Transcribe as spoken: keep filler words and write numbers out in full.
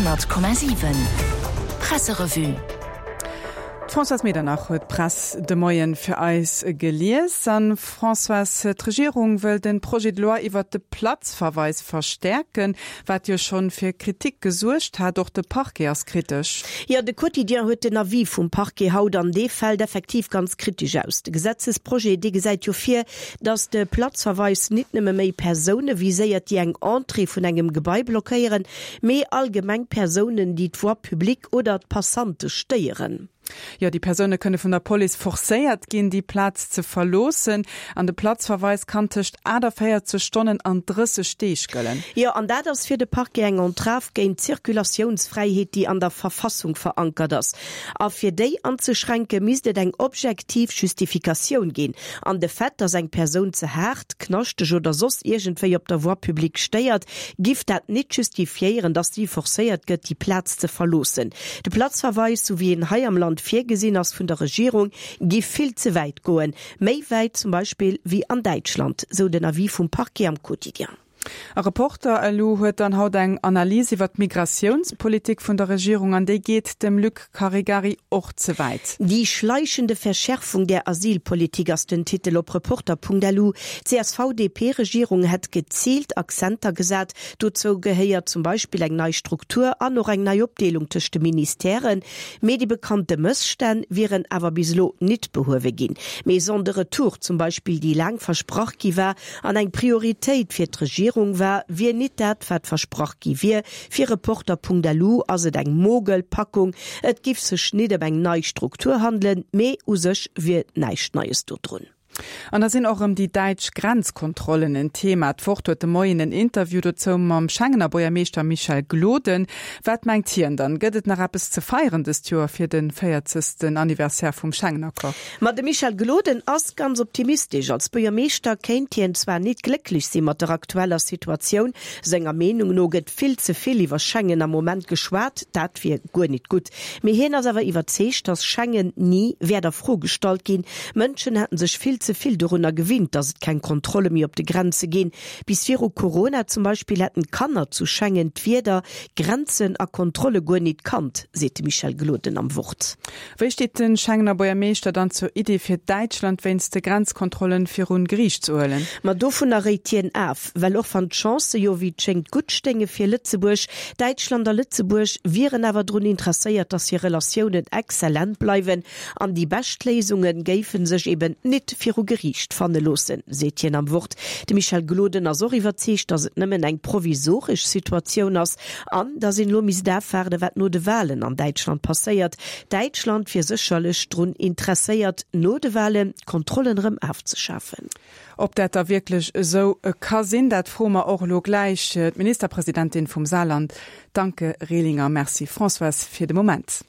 Honnert Komma siwen Presserevue. D'Françoise Medernach huet d'Press de Moien fir eis gelies. An Françoise, d'Regierung wëll den Projet de loi iwwert de Platzverweis verstäerken, wat jo schonn fir Kritik gesuergt hat. Och de Parquet ass kritesch. Jo, de Quotidien huet den Avis vum Parquet haut an dee fält effektiv ganz kritesch aus. De Gesetzesprojet, dee gesäit jo vir, datt de Platzverweis nit nëmme méi Persoune viséiert, déi eng Entrée vun engem Gebai blockéieren, mee allgemeng Persounen, déi d'Voie publique oder d'Passante stéieren. Jo, déi Persoune kënne vun der Police forcéiert ginn, déi Plaz ze verloossen. An de Platzverweis kann tëscht achtaféierzeg Stonnen an drësseg Deeg gëllen. Jo, an dat ass fir de Parquet eng Entrave géint d'Zirkulatiounsfräiheet, déi an der Verfassung verankert ass. A fir déi anzeschränke misst et eng objektiv Justifikatioun ginn. An de Fait, datt eng Persoun ze haart, knaschteg oder soss iergendwéi op der Voie publique stéiert, giff dat nit justifiéieren, datt si forcéiert gëtt, déi Plaz ze verloossen. De Platzverweis, sou wéi en hei am Land virgesinn ass vun der Regierung, giff vill ze wäit goen, méi wäit zum Beispill wéi an Däitschland, sou den Avis vum Parquet am Quotidien. A Reporter.lu huet dann haut eng Analys iwwer d'Migratiounspolitik vun der Regierung an déi geet dem Luc Caregari och ze wäit. Die schleichende Verschärfung der Asylpolitik ass den Titel op Reporter.lu. D'CSV-DP-Regierung hätt geziilt Akzenter gesat. Dozou gehéiert zum Beispill eng nei Struktur an och eng nei Opdeelung tëscht de Ministèren. Mee déi bekannte Mësstänn wieren awer bis elo nit behuewe ginn. D'Maison de retour zum Beispill, déi laang versprach gi war an eng Prioritéit fir d'Regierung war, wier nit dat, wat versprach gi wier. Fir Reporter.lu ass et eng Mogelpackung. Et giff sech nit ëm eng nei Struktur handelen, mee u sech wier näischt Neies dodrun. An da sinn och erëm déi däitsch Grenzkontrollen en Thema. D'Wort huet de Moien en Interview dozou mam Schengener Buergermeeschter Michel Gloden. Wat mengt hien dann? Gëtt et nach eppes ze feieren dëst Joer fir de véierzegsten Anniversaire vum Schengen-Accord? Ma de Michel Gloden ass ganz optimistesch. Als Buergermeeschter kéint hien zwar nit glécklech si mat der aktueller Situatioun. Senger Meenung no gëtt vill ze vill iwwer Schengen am Moment geschwat, dat wier guer nit gutt. Mee hien ass awer iwwerzeegt, datt Schengen ni wäert a Fro gestallt ginn. Mënschen hätten sech vill ze vill dorunner gewinnt, datt et keng Kontrolle méi op de Grenze ginn. Bis viru Corona zum Beispill hätten d'Kanner zu Schengen d'Wierder Grenzen a Kontrolle guer nit kannt, seet de Michel Gloden am Wort. Wéi steet de Schengener Buergermeeschter dann zur Idee fir Däitschland wéinst de Grenzkontrollen virun Geriicht ze huelen? Ma dovunner réit hien af, well och wann d'Chancë jo wéi et schéngt gutt stéinge fir Lëtzebuerg, Däitschland a Lëtzebuerg wieren awer drun interesséiert, datt hir Relatiounen exzellent bleiwen an déi bescht Léisunge géife sech eben nit viru Geriicht fanne loossen, seet hien am Wort. De Michel Gloden ass och iwwerzeegt, datt et nëmmen eng provisoresch Situatioun ass an datt een elo misst afwaarden, wat no de Walen an Däitschland passéiert. Däitschland wier sécherlech drun interesséiert, no de Walen d'Kontrollen erëm afzeschafen. Ob dat da wierklech esou ka sinn, dat froe mer och elo gläich d'Ministerpresidentin vum Saarland, d'Anke Rehlinger. Merci Françoise fir de Moment.